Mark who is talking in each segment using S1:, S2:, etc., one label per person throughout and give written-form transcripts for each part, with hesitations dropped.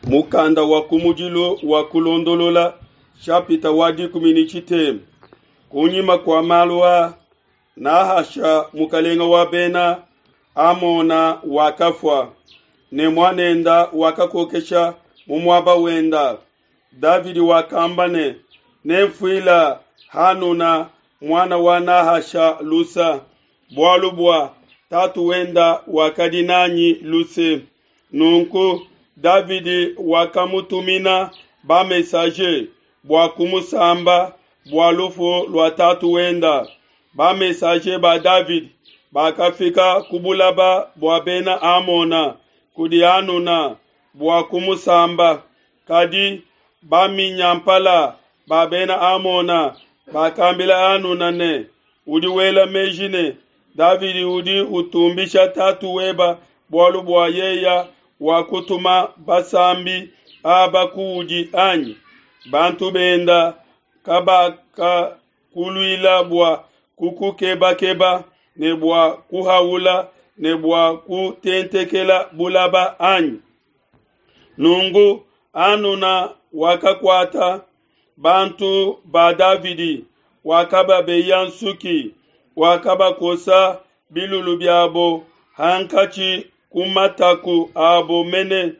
S1: Mukanda wa kumudilu wa Kulondolola shapita wa 13. Kunyima kua malu aa, Nahasha mukalenga wa bena Amona wakafua, ne muanenda wakakokesha mu muaba wenda. Davidi wakamba ne, Nenfuila Hanuna muana wa Nahasha lusa, bualu bua tatu wenda wakadi nanyi luse. Nunku Davidi wakamutumina ba-messager bua kumusamba bua lufu lua tatu wenda. Ba-messager ba Davidi bakafika ku bulaba bua bena Amona kudi Hanuna bua kumusamba, kadi baminyampala ba bena Amona bakambila Hanuna ne, Udi wela meji ne, Davidi udi utumbisha tatu weba bualu bua yeya wakutuma basambi aba kuudi anyi? Bantu benda kabakakuluila bua kukukebakeba ne bua kuhaula ne bua kutentekela bulaba anyi? Nunku Hanuna wakakuata bantu ba Davidi, wakababeya nsuki, wakabakosa bilulu biabo hankatshi ku mataku abo mene,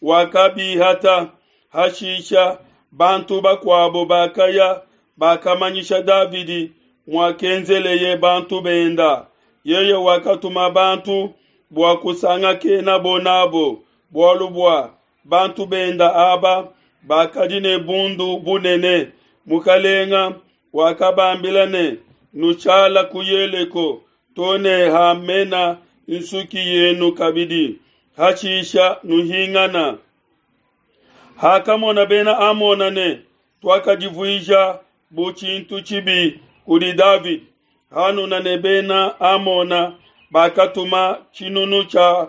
S1: wakabihata. Hashisha bantu bakuabo bakaya, bakamanyisha Davidi muakenzeleye bantu benda. Yeye wakatuma bantu bua kusangakenabo n'abo, bualu bua bantu benda aba bakadi ne bundu bunene. Mukalenga wakabambila ne, Nushala ku Yeleko to ne hamena nsuki yenu kabidi, hashisha nuhingana. Hakamona Bena Amona ne tuakadivuija bu tshintu tshibi kudi Davidi, Hanuna ne Bena Amona bakatuma tshinunu tshia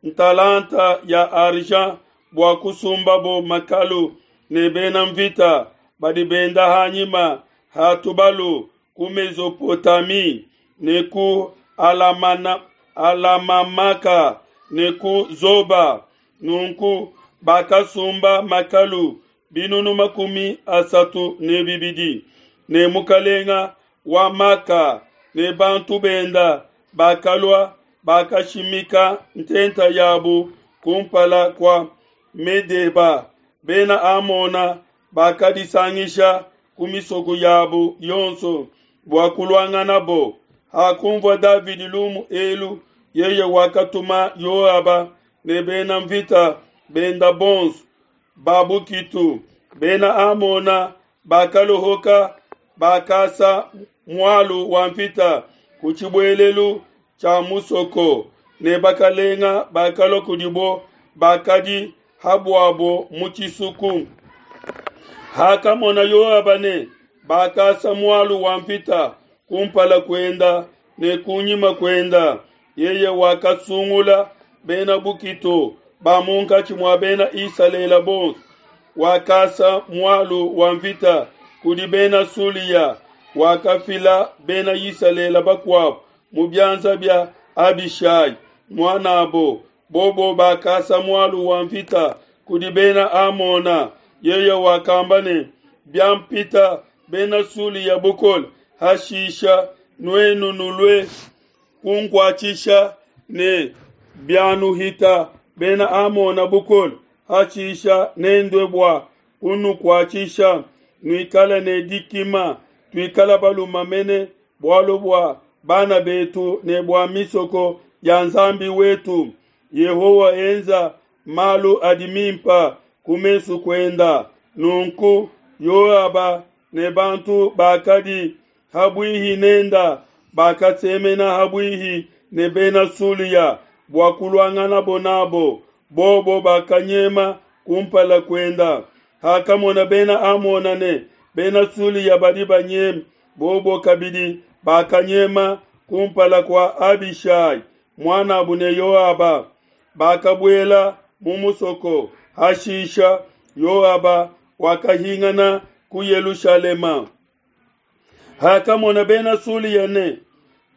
S1: ntalanta ya argent bua kusumbabo makalu ne bena nvita badi benda ha nyima ha tubalu ku Mesopotamie ne ku Alamana, Alamamaka ne ku Zoba. Nunku bakasumba makalu 320, ne mukalenga wa Maka ne bantu benda bakalua bakashimika ntenta yabu kumpala kua Medeba. Bena Amona bakadisangisha ku misoko yabu yonso bua kuluanganabo. Hakunvua Davidi lumu elu, yeye wakatuma Yoaba ne bena mvita benda bonso ba bukitu. Bena Amona bakalohoka, bakasa mualu wa mvita ku tshibuelelu tshia musoko, ne bakalenga bakalua kudibo bakadi habuabo mu tshisuku. Hakamona Yoaba ne bakasa mualu wa mvita kumpala kuenda ne kunyima kuenda, yeye wakasungula bena bukitu ba munkatshi mua bena Isalele bonso, wakasa mualu wa mvita kudi bena Sulia, wakafila bena Isalele bakuabo mu bianza bia Abishai muanabo, bobo bakasa mualu wa mvita kudi bena Amona. Yeye wakamba ne, Biampita bena Sulia bukole, hashisha nuenu nulue kunkuatshisha, ne bianuhita bena Amona bukole, hashisha nendue bua kunukuatshisha. Nuikale ne dikima, tuikale balume mene, bualu bua bana betu ne bua misoko ya Nzambi wetu. Yehowa enza malu adi mimpa ku mesu kuenda. Nunku Yoaba ne bantu bakadi habuihi nenda bakasemena habuihi ne bena Sulia bua kuluanganabo nabo, bobo bakanyema kumpala kuenda. Hakamona bena Amona ne bena Sulia badi banyema, bobo kabidi bakanyema kumpala kua Abishai muanabu ne Yoaba, bakabuela mu musoko. Hashisha Yoaba wakahingana ku Yelushalema. Hakamona bena Sulia ne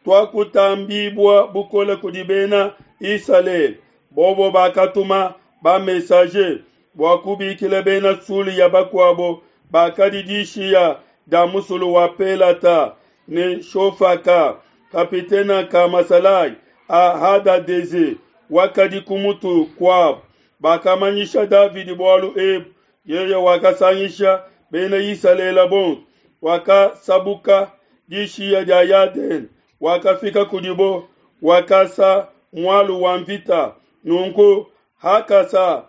S1: tuakutambibua bukole kudi bena Isalele, bobo bakatuma ba messager. bua kubikila Bena Sulia bakuabo bakadi dishiya dia musulu wa Pelata, ne Shofaka, kapitene ka masalayi a Hadadeze, wakadi ku mutu kuabo. Bakamanyisha Davidi bualu ebu, yeye wakasangisha Bena Isalele bonso, wakasabuka dishiya dia Yadene, wakafika kudibo, wakasa mualu wa mvita. Nunku hakasa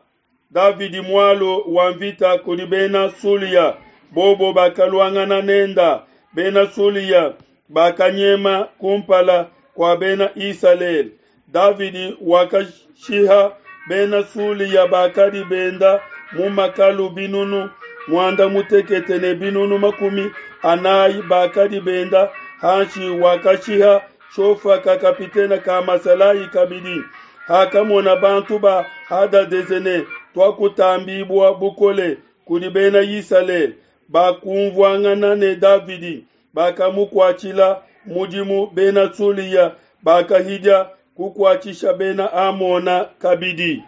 S1: Davidi mualu wa mvita kudi Bena Sulia, bobo bakaluangana nenda. Bena Sulia bakanyema kumpala kua Bena Isalele. Davidi wakashiha Bena Sulia bakadi benda mu makalu binunu muanda mutekete ne binunu 40 bakadi benda hanshi, wakashiha Shofaka kapitene ka masalayi kabidi. Hakamona bantu ba Hadadeze ne tuakutambibua bukole kudi Bena Isalele, bakunvuangana ne Davidi, bakamukuatshila mudimu. Bena Sulia bakahidia kukuatshisha Bena Amona kabidi.